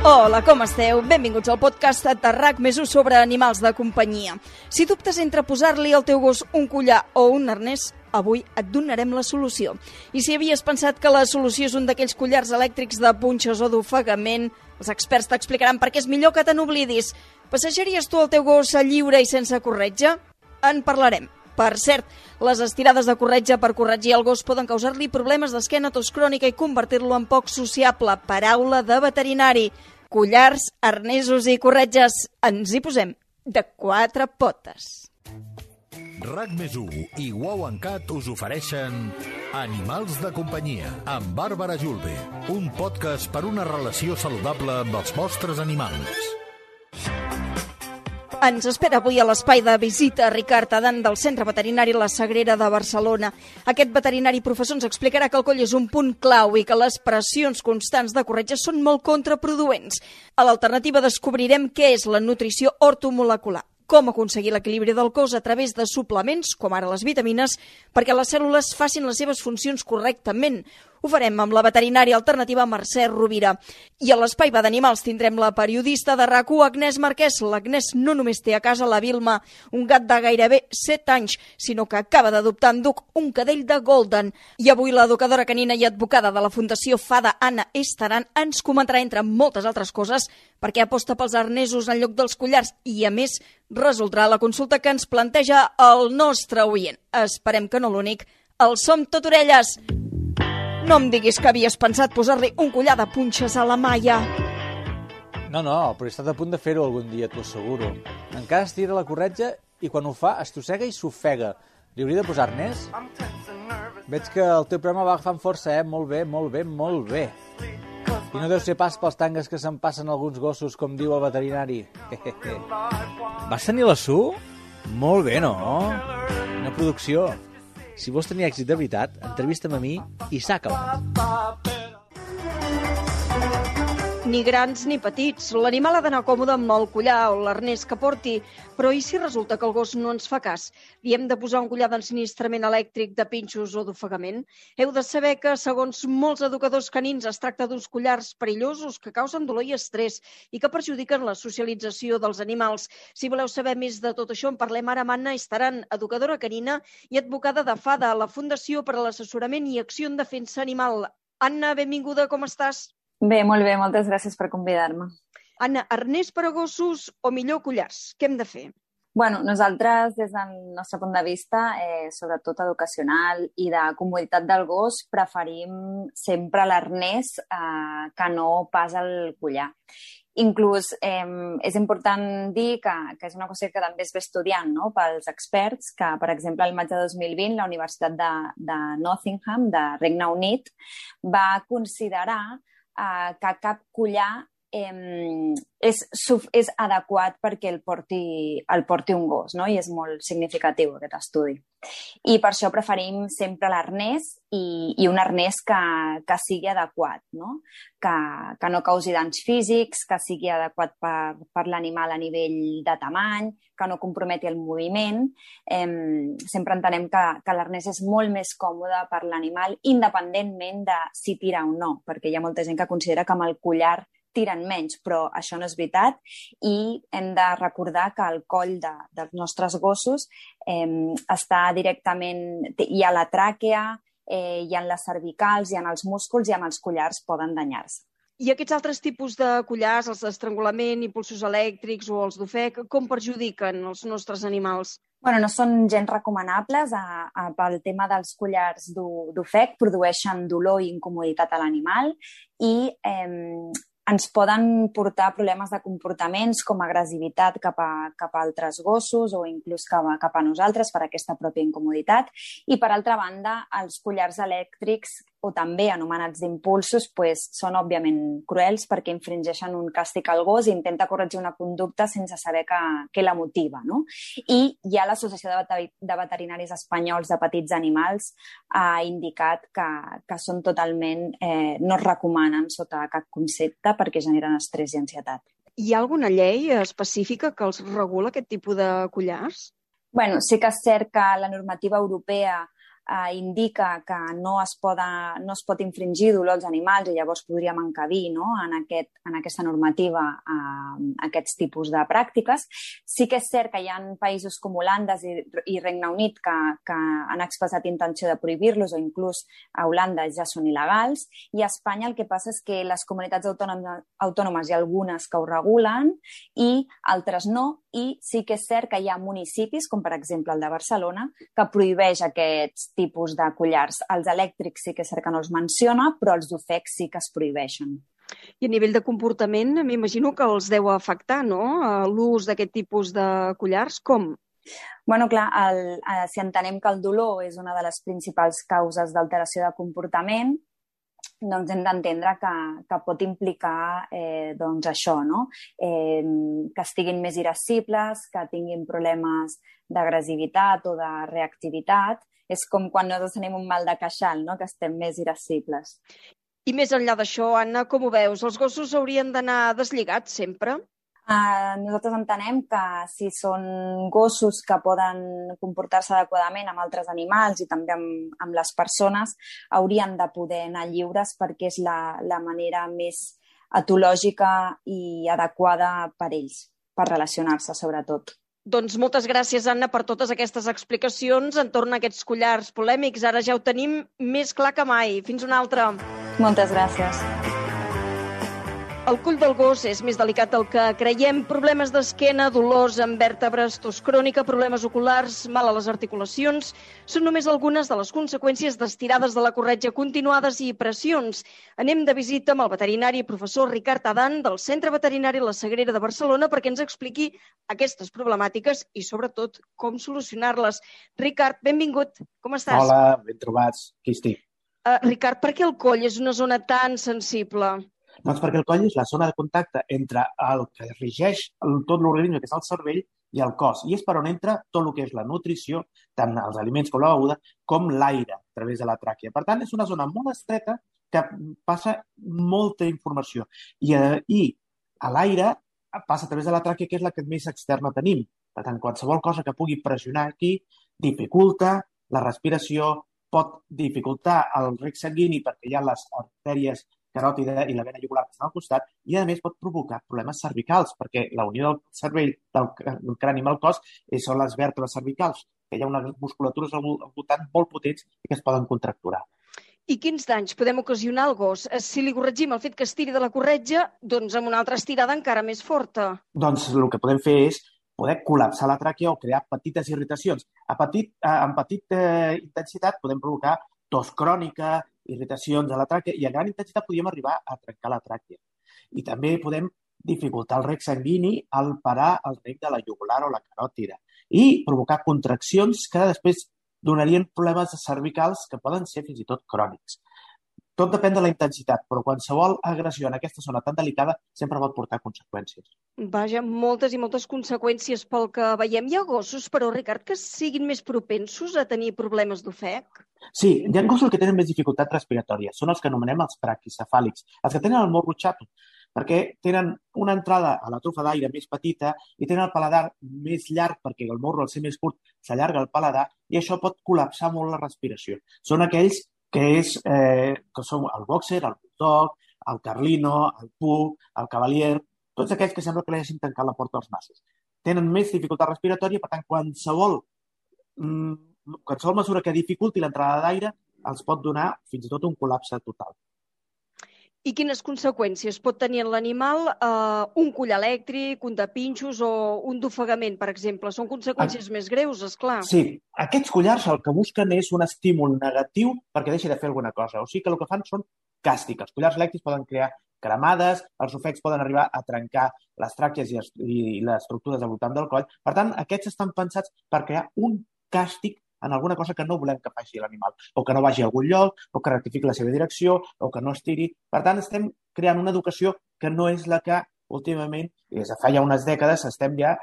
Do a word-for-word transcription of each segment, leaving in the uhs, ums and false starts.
Hola, com esteu? Benvinguts al podcast de RAC més u sobre animals de companyia. Si dubtes entre posar-li al teu gos un collar o un arnès, avui et donarem la solució. I si havies pensat que la solució és un d'aquells collars elèctrics de punxes o d'ofegament, els experts t'explicaran per què és millor que te n'oblidis. Passejaries tu el teu gos a lliure i sense corretja? En parlarem. Per cert, les estirades de corretja per corregir el gos poden causar-li problemes d'esquena, tos crònica i convertir-lo en poc sociable. Paraula de veterinari. Collars, arnesos i corretges. Ens hi posem de quatre potes. RAC més u i Wow and Cat us ofereixen Animals de companyia amb Bàrbara Julve, un podcast per una relació saludable amb els vostres animals. Ens espera avui a l'espai de visita Ricard Adan del Centre Veterinari La Sagrera de Barcelona. Aquest veterinari professor ens explicarà que el coll és un punt clau i que les pressions constants de corretja són molt contraproduents. A l'alternativa descobrirem què és la nutrició ortomolecular, com aconseguir l'equilibri del cos a través de suplements, com ara les vitamines, perquè les cèl·lules facin les seves funcions correctament. Ho farem amb la veterinària alternativa Mercè Rovira. I a l'espai d'animals tindrem la periodista de RAC u, Agnès Marquès. L'Agnès no només té a casa la Vilma, un gat de gairebé set anys, sinó que acaba d'adoptar en Duc, un cadell de Golden. I avui l'educadora canina i advocada de la Fundació Fada, Anna Estaran, ens comentarà, entre moltes altres coses, per què aposta pels arnesos en lloc dels collars i, a més, resoldrà la consulta que ens planteja el nostre oient. Esperem que no l'únic. El Som Tot Orelles. No em diguis que havies pensat posar-li un collar de punxes a la Maia. No, no, però he estat a punt de fer-ho algun dia, t'ho asseguro. Encara estira la corretja i quan ho fa estossega i s'ofega. Li hauria de posar arnès? Veig que el teu programa va agafant força, eh? Molt bé, molt bé, molt bé. I no deu ser pas pels tangues que se'n passen alguns gossos, com diu el veterinari. Vas tenir la Su? Molt bé, no? Una producció. Si vols tenir èxit de veritat, entrevista'm a mi i s'ha acabat. Ni grans ni petits. L'animal ha d'anar còmode amb el collar o l'arnès que porti, però i si resulta que el gos no ens fa cas? Li hem de posar un collar d'ensinistrament elèctric, de pinxos o d'ofegament? Heu de saber que, segons molts educadors canins, es tracta d'uns collars perillosos que causen dolor i estrès i que perjudiquen la socialització dels animals. Si voleu saber més de tot això, en parlem ara amb Anna Estaran, educadora canina i advocada de Fada, la Fundació per a l'Assessorament i Acció en Defensa Animal. Anna, benvinguda, com estàs? Bé, molt bé, moltes gràcies per convidar-me. Anna, arnès per a gossos o millor collars? Què hem de fer? Bueno, nosaltres, des del nostre punt de vista, eh, sobretot educacional i de comoditat del gos, preferim sempre l'arnès eh, que no pas el collar. Inclús eh, és important dir que, que és una qüestió que també es ve estudiant, no?, pels experts, que, per exemple, el maig de dos mil vint, la Universitat de, de Nottingham, de Regne Unit, va considerar eh, que cap collar eh, és, és adequat perquè el porti, el porti un gos, no?, i és molt significatiu aquest estudi. I per això preferim sempre l'arnès i, i un arnès que, que sigui adequat, no?, que, que no causi danys físics, que sigui adequat per, per l'animal a nivell de tamany, que no comprometi el moviment. Eh, sempre entenem que, que l'arnès és molt més còmode per l'animal, independentment de si tira o no, perquè hi ha molta gent que considera que amb el collar tiren menys, però això no és veritat i hem de recordar que el coll de, dels nostres gossos eh, està directament, hi ha la tràquea, eh, hi ha les cervicals, hi ha els músculs i amb els collars poden danyar-se. I aquests altres tipus de collars, els d'estrangulament, impulsos elèctrics o els d'ofec, com perjudiquen els nostres animals? Bueno, no són gens recomanables a, a, pel tema dels collars d'ofec, produeixen dolor i incomoditat a l'animal i eh, ens poden portar problemes de comportaments com agressivitat cap a, cap a altres gossos o inclús cap a, cap a nosaltres per aquesta pròpia incomoditat. I, per altra banda, els collars elèctrics o també anomenats d'impulsos, pues, són òbviament cruels perquè infringeixen un càstig al gos i intenta corregir una conducta sense saber que, que la motiva, no? I hi ha l'Associació de, de Veterinaris Espanyols de Petits Animals ha indicat que, que són totalment, eh, no es recomanen sota cap concepte perquè generen estrès i ansietat. Hi ha alguna llei específica que els regula aquest tipus de collars? Bueno, sí que és cert que la normativa europea eh, indica que no es, poda, no es pot infringir dolor als animals i llavors podríem encabir, no, en, aquest, en aquesta normativa eh, aquests tipus de pràctiques. Sí que és cert que hi ha països com Holanda i, i Regne Unit que, que han expressat intenció de prohibir-los, o inclús a Holanda ja són il·legals, i a Espanya el que passa és que les comunitats autònomes, autònomes hi ha algunes que ho regulen i altres no, i sí que és cert que hi ha municipis, com per exemple el de Barcelona, que prohibeix aquests tipus de collars. Els elèctrics sí que és cert que no els menciona, però els d'ofec sí que es prohibeixen. I a nivell de comportament, m'imagino que els deu afectar, no?, l'ús d'aquest tipus de collars. Com? Bueno, clar, el, eh, si entenem que el dolor és una de les principals causes d'alteració de comportament, doncs hem d'entendre que, que pot implicar eh, doncs això, no? Eh, que estiguin més irascibles, que tinguin problemes d'agressivitat o de reactivitat. És com quan nosaltres tenim un mal de queixal, no?, que estem més irascibles. I més enllà d'això, Anna, com ho veus? Els gossos haurien d'anar deslligats sempre? Uh, nosaltres entenem que si són gossos que poden comportar-se adequadament amb altres animals i també amb, amb les persones, haurien de poder anar lliures perquè és la, la manera més etològica i adequada per ells, per relacionar-se sobretot. Doncs moltes gràcies, Anna, per totes aquestes explicacions entorn a aquests collars polèmics. Ara ja ho tenim més clar que mai. Fins una altra. Moltes gràcies. El coll del gos és més delicat del que creiem. Problemes d'esquena, dolors en vèrtebres, tos crònica, problemes oculars, mal a les articulacions, són només algunes de les conseqüències d'estirades de la corretja continuades i pressions. Anem de visita amb el veterinari professor Ricard Adan del Centre Veterinari La Sagrera de Barcelona perquè ens expliqui aquestes problemàtiques i, sobretot, com solucionar-les. Ricard, benvingut. Com estàs? Hola, ben trobats. Aquí estic. Uh, Ricard, per què el coll és una zona tan sensible? Doncs perquè el coll és la zona de contacte entre el que regeix tot l'organisme, que és el cervell, i el cos. I és per on entra tot el que és la nutrició, tant els aliments com la beguda, com l'aire a través de la tràquea. Per tant, és una zona molt estreta que passa molta informació. I, eh, i a l'aire passa a través de la tràquea, que és la que més externa tenim. Per tant, qualsevol cosa que pugui pressionar aquí dificulta la respiració, pot dificultar el rec sanguini perquè hi ha les artèries caròtida i la vena jugular que estan al costat, i a més pot provocar problemes cervicals, perquè la unió del cervell, del crani amb el cos, són les vèrtebres cervicals, que hi ha unes musculatures al voltant molt potents i que es poden contracturar. I quins danys podem ocasionar al gos? Si li corregim el fet que estiri de la corretja, doncs amb una altra estirada encara més forta. Doncs el que podem fer és poder col·lapsar la tràquea o crear petites irritacions. A petit, en petita eh, intensitat podem provocar tos crònica, irritacions a la tràquea, i a gran intensitat podríem arribar a trencar la tràquea. I també podem dificultar el rec sanguini al parar el rec de la jugular o la caròtida i provocar contraccions que després donarien problemes cervicals que poden ser fins i tot crònics. Tot depèn de la intensitat, però qualsevol agressió en aquesta zona tan delicada sempre pot portar conseqüències. Vaja, moltes i moltes conseqüències pel que veiem. Hi ha gossos, però, Ricard, que siguin més propensos a tenir problemes d'ofec? Sí, hi ha gossos que tenen més dificultat respiratòria. Són els que anomenem els praquicefàlics, els que tenen el morro xato, perquè tenen una entrada a la trufa d'aire més petita i tenen el paladar més llarg perquè el morro, al ser més curt, s'allarga el paladar i això pot col·lapsar molt la respiració. Són aquells que, és, eh, que són el boxer, el bulldog, el carlino, el pug, el cavalier, tots aquells que sembla que li hagin tancat la porta als nassos. Tenen més dificultat respiratòria, per tant, qualsevol, mm, qualsevol mesura que dificulti l'entrada d'aire els pot donar fins i tot un col·lapse total. I quines conseqüències pot tenir en l'animal eh, un coll elèctric, un de pinxos o un d'ofegament, per exemple? Són conseqüències ah. més greus, esclar. Sí, aquests collars el que busquen és un estímul negatiu perquè deixi de fer alguna cosa. O sigui que el que fan són càstigs. Els collars elèctrics poden crear cremades, els ofecs poden arribar a trencar les tràquees i, i les estructures al voltant del coll. Per tant, aquests estan pensats per crear un càstig en alguna cosa que no volem que faci l'animal, o que no vagi a algun lloc, o que rectifiqui la seva direcció, o que no estiri. Per tant, estem creant una educació que no és la que últimament, des de fa ja unes dècades, estem ja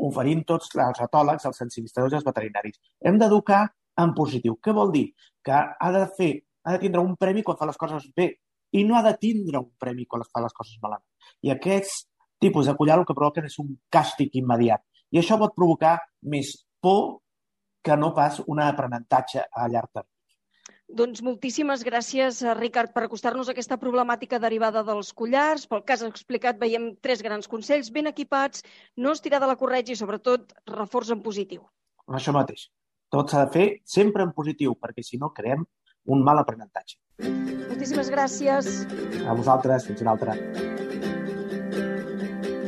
oferint tots els etòlegs, els sensibilizadors i els veterinaris. Hem d'educar en positiu. Què vol dir? Que ha de fer, ha de tindre un premi quan fa les coses bé, i no ha de tindre un premi quan fa les coses malament. I aquests tipus de collar el que provoquen és un càstig immediat. I això pot provocar més por que no pas un aprenentatge a llarg termini. Doncs moltíssimes gràcies, Ricard, per acostar-nos a aquesta problemàtica derivada dels collars. Pel que has explicat, veiem tres grans consells ben equipats, no estirar de la corretja i, sobretot, reforç en positiu. Això mateix. Tot s'ha de fer sempre en positiu, perquè si no creem un mal aprenentatge. Moltíssimes gràcies. A vosaltres, fins una altra.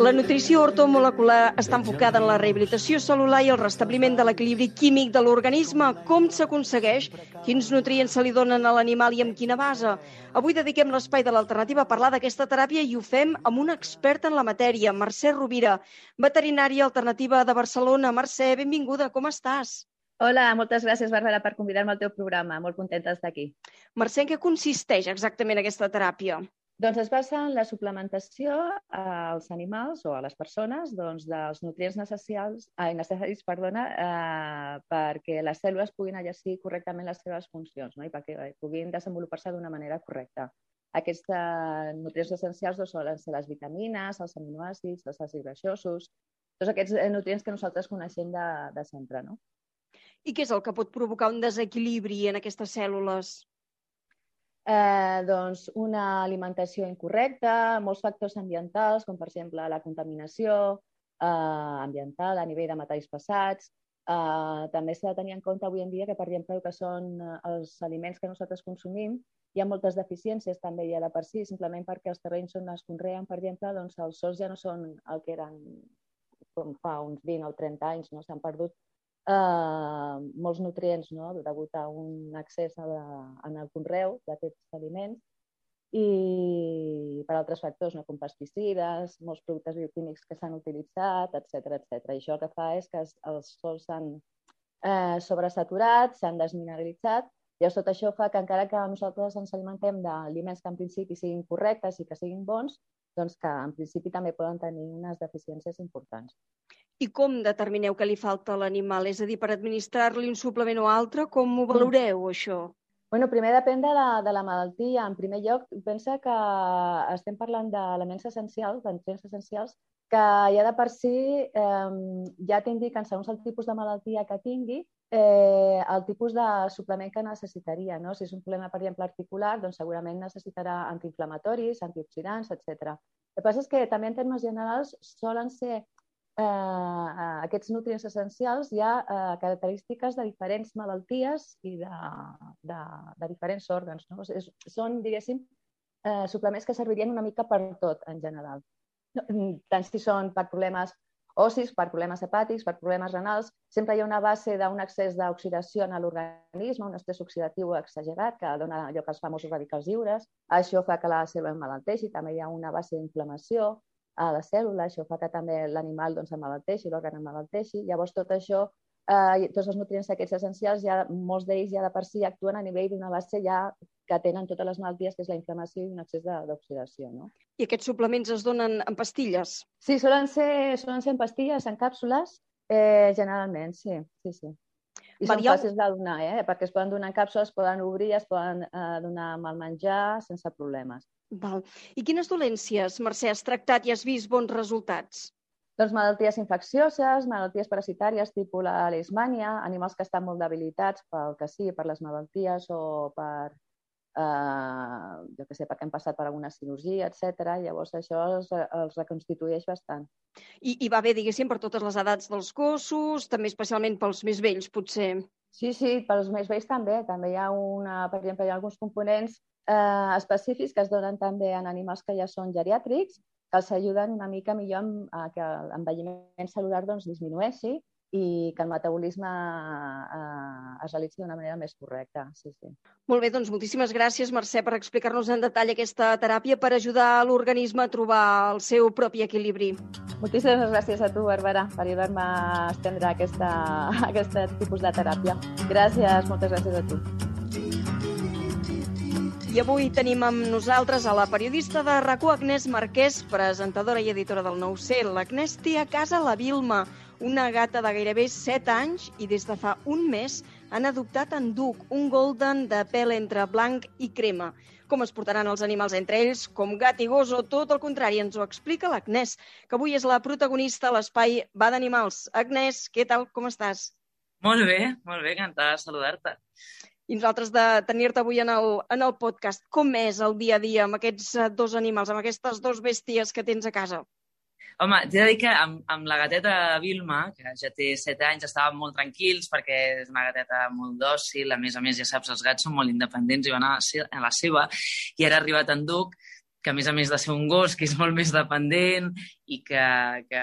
La nutrició ortomolecular està enfocada en la rehabilitació cel·lular i el restabliment de l'equilibri químic de l'organisme. Com s'aconsegueix? Quins nutrients se li donen a l'animal i amb quina base? Avui dediquem l'espai de l'alternativa a parlar d'aquesta teràpia i ho fem amb una experta en la matèria, Mercè Rovira, veterinària alternativa de Barcelona. Mercè, benvinguda, com estàs? Hola, moltes gràcies, Bàrbara, per convidar-me al teu programa. Molt contenta d'estar aquí. Mercè, en què consisteix exactament aquesta teràpia? Doncs es basa en la suplementació als animals o a les persones doncs, dels nutrients necessaris, ai, necessaris perdona, eh, perquè les cèl·lules puguin exercir correctament les seves funcions, no? I perquè puguin desenvolupar-se d'una manera correcta. Aquests eh, nutrients essencials doncs, solen ser les vitamines, els aminoàcids, els àcids greixosos, tots aquests eh, nutrients que nosaltres coneixem de, de sempre. No? I què és el que pot provocar un desequilibri en aquestes cèl·lules? Eh, doncs una alimentació incorrecta, molts factors ambientals, com per exemple la contaminació eh, ambiental a nivell de metalls pesats. Eh, també s'ha de tenir en compte avui en dia que, per exemple, el que són els aliments que nosaltres consumim, hi ha moltes deficiències també ja de per si, simplement perquè els terrenys on es conreen, per exemple, doncs els sòls ja no són el que eren com fa uns vint o trenta anys, no? S'han perdut Uh, molts nutrients, no? Degut a un accés a la, en el conreu d'aquests aliments i per altres factors, no? Com pesticides, molts productes bioquímics que s'han utilitzat, etcètera, etcètera. I això el que fa és que els sòls s'han eh, sobresaturat, s'han desmineralitzat, i tot això fa que encara que nosaltres ens alimentem d'aliments que en principi siguin correctes i que siguin bons, doncs que en principi també poden tenir unes deficiències importants. I com determineu que li falta a l'animal? És a dir, per administrar-li un suplement o altre, com ho valoreu, això? Bueno, primer depèn de la, de la malaltia. En primer lloc, pensa que estem parlant d'elements essencials, de nutrients essencials, que ja de per si eh, ja t'indiquen, segons el tipus de malaltia que tingui, eh, el tipus de suplement que necessitaria. No? Si és un problema, per exemple, articular, doncs segurament necessitarà antiinflamatoris, antioxidants, etcètera. El que passa és que també en termes generals solen ser Eh, aquests nutrients essencials hi ha eh, característiques de diferents malalties i de, de, de diferents òrgans. No? És, són, diguéssim, eh, suplements que servirien una mica per tot, en general. Tant si són per problemes ossis, per problemes hepàtics, per problemes renals, sempre hi ha una base d'un excés d'oxidació en l'organisme, un estrès oxidatiu exagerat que dona lloc als famosos radicals lliures. Això fa que la cèl·lula emmalalteixi, també hi ha una base d'inflamació a la cèl·lula, això fa que també l'animal doncs, emmalalteixi, l'òrgan emmalalteixi. Llavors, tot això, eh, tots els nutrients aquests essencials, ja, molts d'ells ja de per si actuen a nivell d'una base ja que tenen totes les malalties, que és la inflamació i un excés d'oxidació. No? I aquests suplements es donen en pastilles? Sí, solen ser, solen ser en pastilles, en càpsules, eh, generalment, sí. sí, sí. I són Varieu... fàcils de donar, eh? Perquè es poden donar en càpsules, es poden obrir, es poden eh, donar amb el menjar sense problemes. Val. I quines dolències, Mercè, has tractat i has vist bons resultats? Doncs malalties infeccioses, malalties parasitàries, tipus la leishmània, animals que estan molt debilitats pel que sigui, per les malalties o per, eh, jo què sé, perquè han passat per alguna cirurgia, etcètera. Llavors això els, els reconstitueix bastant. I, I va bé, diguéssim, per totes les edats dels gossos, també especialment pels més vells, potser. Sí, sí, pels més vells també. També hi ha, una, per exemple, hi ha alguns components eh, específics que es donen també en animals que ja són geriàtrics, que els ajuden una mica millor a que l'envelliment cel·lular doncs, disminueixi i que el metabolisme eh, es realitzi d'una manera més correcta. Sí, sí. Molt bé, doncs moltíssimes gràcies, Mercè, per explicar-nos en detall aquesta teràpia per ajudar l'organisme a trobar el seu propi equilibri. Moltíssimes gràcies a tu, Bàrbara, per ajudar-me a estendre aquesta, aquest tipus de teràpia. Gràcies, moltes gràcies a tu. I avui tenim amb nosaltres a la periodista de RAC u, Agnès Marquès, presentadora i editora del Nou C. L'Agnès té a casa la Vilma, una gata de gairebé set anys i des de fa un mes han adoptat en Duc, un golden de pèl entre blanc i crema. Com es portaran els animals entre ells, com gat i gos o tot el contrari, ens ho explica l'Agnès, que avui és la protagonista a l'espai Va d'Animals. Agnès, què tal, com estàs? Molt bé, molt bé, encantada de saludar-te. I nosaltres de tenir-te avui en el, en el podcast. Com és el dia a dia amb aquests dos animals, amb aquestes dos bèsties que tens a casa? Home, t'he de dir que amb, amb la gateta Vilma, que ja té set anys, estàvem molt tranquils perquè és una gateta molt dòcil, a més a més, ja saps, els gats són molt independents i van a la, se a la seva, i ara ha arribat en Duc, que a més a més de ser un gos, que és molt més dependent i que, que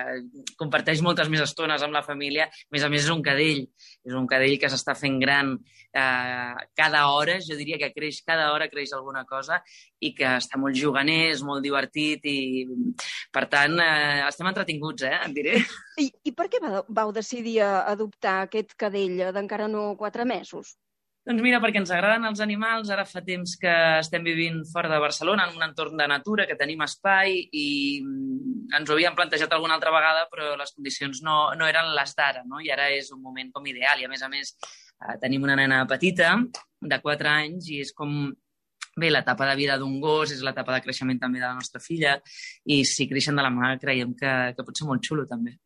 comparteix moltes més estones amb la família, a més a més és un cadell, és un cadell que s'està fent gran eh, cada hora, jo diria que creix cada hora, creix alguna cosa, i que està molt juganer, és molt divertit, i per tant eh, estem entretinguts, eh, et diré. I, i per què vau decidir adoptar aquest cadell d'encara no quatre mesos? Doncs mira, perquè ens agraden els animals, ara fa temps que estem vivint fora de Barcelona, en un entorn de natura, que tenim espai, i ens ho havíem plantejat alguna altra vegada, però les condicions no, no eren les d'ara, no? I ara és un moment com ideal, i a més a més eh, tenim una nena petita, de quatre anys, i és com... Bé, l'etapa de vida d'un gos és l'etapa de creixement també de la nostra filla, i si creixen de la mà creiem que, que pot ser molt xulo, també.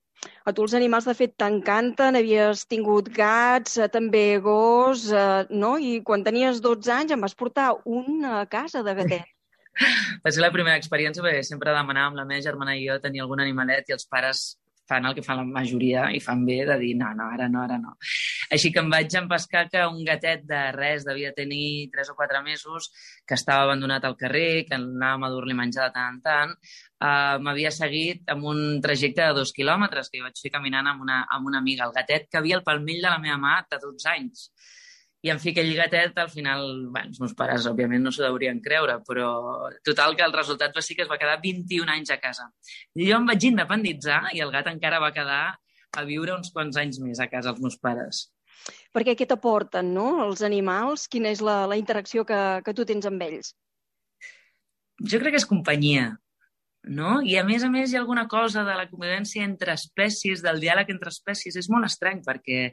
A tu els animals, de fet, t'encanten, havies tingut gats, també gos, eh, no? I quan tenies dotze anys em vas portar un a casa de gatet. Va ser la primera experiència perquè sempre demanàvem, la meva germana i jo, tenir algun animalet i els pares fan el que fan la majoria i fan bé de dir no, no, ara no, ara no. Així que em vaig empescar que un gatet de res devia tenir tres o quatre mesos, que estava abandonat al carrer, que anàvem a dur-li menjar de tant en tant, uh, m'havia seguit amb un trajecte de dos quilòmetres que jo vaig fer caminant amb una, amb una amiga. El gatet que havia al palmell de la meva mà de dotze anys. I en fi, aquell gatet, al final, bueno, els meus pares, òbviament, no s'ho deurien creure, però total que el resultat va ser que es va quedar vint-i-un anys a casa. I jo em vaig independitzar i el gat encara va quedar a viure uns quants anys més a casa els meus pares. Perquè què t'aporten, no?, els animals? Quina és la, la interacció que, que tu tens amb ells? Jo crec que és companyia, no? I a més a més hi ha alguna cosa de la convivència entre espècies, del diàleg entre espècies. És molt estrany perquè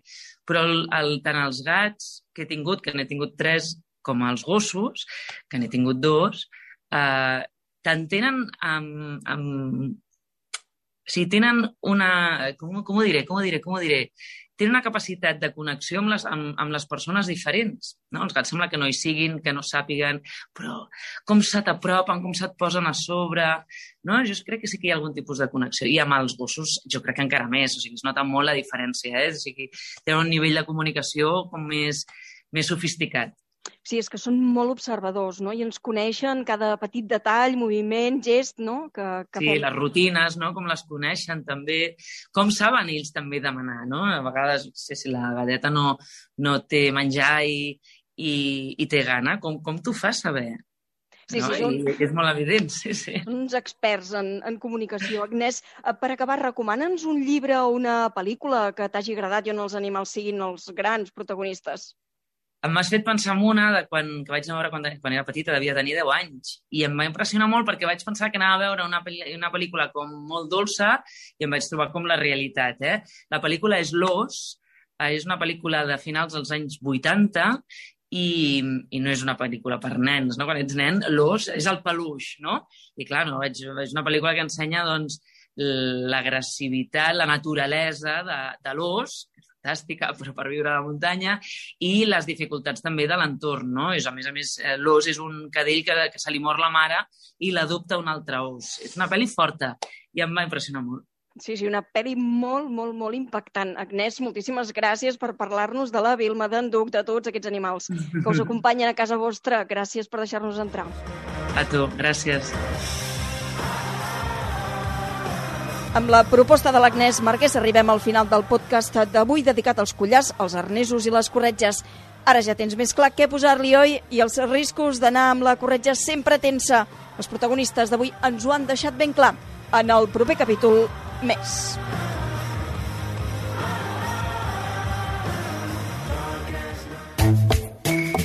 però el, el, tant els gats que he tingut, que n'he tingut tres, com els gossos, que n'he tingut dos, eh, t'entenen amb, amb... O sigui, tenen una... Com, com ho diré? Com ho diré? Com ho diré? Tenen una capacitat de connexió amb les, amb, amb les persones diferents. No? Els gats sembla que no hi siguin, que no sàpiguen, però com se t'apropen, com se't posen a sobre... No? Jo crec que sí que hi ha algun tipus de connexió. I amb els gossos jo crec que encara més. O sigui, es nota molt la diferència. Eh? O sigui, tenen un nivell de comunicació com més, més sofisticat. Sí, és que són molt observadors, no? I ens coneixen cada petit detall, moviment, gest, no? Que, que sí, fem. Les rutines, no? Com les coneixen també. Com saben ells també demanar, no? A vegades, no sé si la gateta no, no té menjar i, i, i té gana, com, com t'ho fas saber? Sí, no? sí, són, I és molt evident, sí, sí. Són uns experts en, en comunicació. Agnès, per acabar, recomana'ns un llibre o una pel·lícula que t'hagi agradat i on els animals siguin els grans protagonistes. M'has fet pensar en una de quan, que vaig anar a veure quan, quan era petita, devia tenir deu anys, i em va impressionar molt perquè vaig pensar que anava a veure una, una pel·lícula com molt dolça i em vaig trobar com la realitat. Eh? La pel·lícula és L'Ós, eh, és una pel·lícula de finals dels anys vuitanta i, i no és una pel·lícula per nens, no? Quan ets nen, l'ós és el peluix, no? I clar, no, veig, veig una pel·lícula que ensenya doncs, l'agressivitat, la naturalesa de, de l'ós, fantàstica, però per viure a la muntanya, i les dificultats també de l'entorn, no? És, a més a més, l'ós és un cadell que, que se li mor la mare i l'adopta un altre ós. És una pel·li forta i em va impressionar molt. Sí, sí, una pel·li molt, molt, molt impactant. Agnès, moltíssimes gràcies per parlar-nos de la Vilma, d'en Duc, de tots aquests animals que us acompanyen a casa vostra. Gràcies per deixar-nos entrar. A tu, gràcies. Amb la proposta de l'Agnès Marquès arribem al final del podcast d'avui dedicat als collars, als arnesos i les corretges. Ara ja tens més clar què posar-li, oi? I els riscos d'anar amb la corretja sempre tensa. Els protagonistes d'avui ens ho han deixat ben clar. En el proper capítol, més.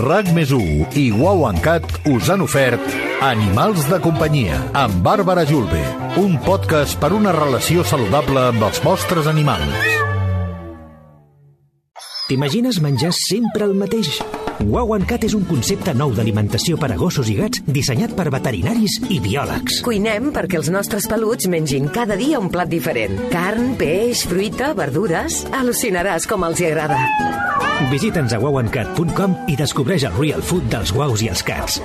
RAC més u i Wow and Cat us han ofert Animals de companyia amb Bàrbara Julve, un podcast per una relació saludable amb els vostres animals. T'imagines menjar sempre el mateix? Wow and Cat és un concepte nou d'alimentació per a gossos i gats dissenyat per veterinaris i biòlegs. Cuinem perquè els nostres peluts mengin cada dia un plat diferent. Carn, peix, fruita, verdures... Al·lucinaràs com els hi agrada. Visita'ns a wow and cat punt com i descobreix el real food dels guaus i els cats.